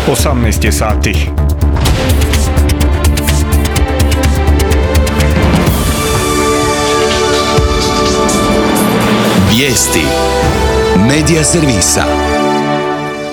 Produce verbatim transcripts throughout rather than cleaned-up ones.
osamnaest je sati. Vijesti Medija servisa.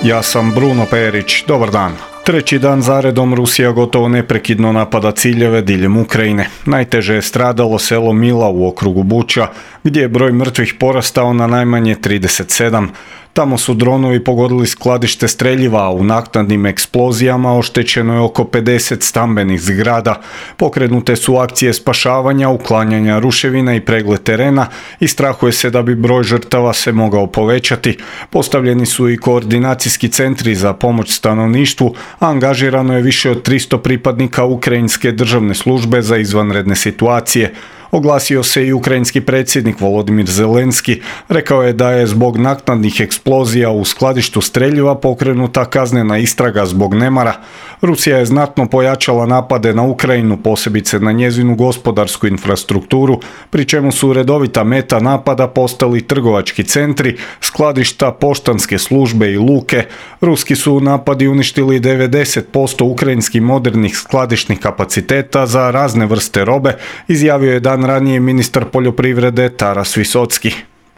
Ja sam Bruno Perić, dobar dan. Treći dan zaredom Rusija gotovo neprekidno napada ciljeve diljem Ukrajine. Najteže je stradalo selo Mila u okrugu Buča, gdje je broj mrtvih porastao na najmanje trideset sedam. Tamo su dronovi pogodili skladište streljiva, a u naknadnim eksplozijama oštećeno je oko pedeset stambenih zgrada. Pokrenute su akcije spašavanja, uklanjanja ruševina i pregled terena i strahuje se da bi broj žrtava se mogao povećati. Postavljeni su i koordinacijski centri za pomoć stanovništvu, a angažirano je više od tristo pripadnika Ukrajinske državne službe za izvanredne situacije. Oglasio se i ukrajinski predsjednik Volodimir Zelenski. Rekao je da je zbog naknadnih eksplozija u skladištu streljiva pokrenuta kaznena istraga zbog nemara. Rusija je znatno pojačala napade na Ukrajinu, posebice na njezinu gospodarsku infrastrukturu, pri čemu su redovita meta napada postali trgovački centri, skladišta, poštanske službe i luke. Ruski su napadi uništili devedeset posto ukrajinskih modernih skladišnih kapaciteta za razne vrste robe, izjavio je dan ranije ministar poljoprivrede Taras Visocki.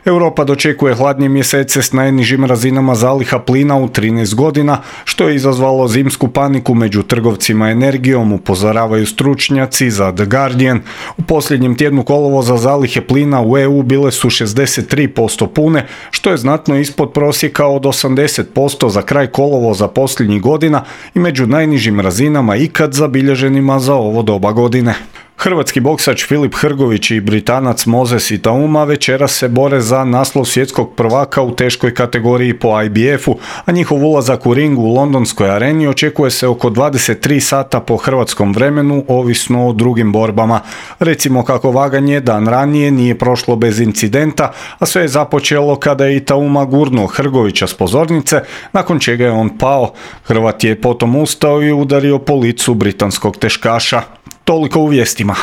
Europa dočekuje hladnije mjesece s najnižim razinama zaliha plina u trinaest godina, što je izazvalo zimsku paniku među trgovcima energijom, upozoravaju stručnjaci za The Guardian. U posljednjem tjednu kolovoza zalihe plina u E U bile su šezdeset tri posto pune, što je znatno ispod prosjeka od osamdeset posto za kraj kolovoza posljednjih godina i među najnižim razinama ikad zabilježenima za ovo doba godine. Hrvatski boksač Filip Hrgović i Britanac Moses Itauma večeras se bore za naslov svjetskog prvaka u teškoj kategoriji po I B F-u, a njihov ulazak u ring u londonskoj areni očekuje se oko dvadeset tri sata po hrvatskom vremenu, ovisno o drugim borbama. Recimo kako vaganje dan ranije nije prošlo bez incidenta, a sve je započelo kada je Itauma gurnuo Hrgovića s pozornice, nakon čega je on pao. Hrvat je potom ustao i udario po licu britanskog teškaša. Toliko u vijestima.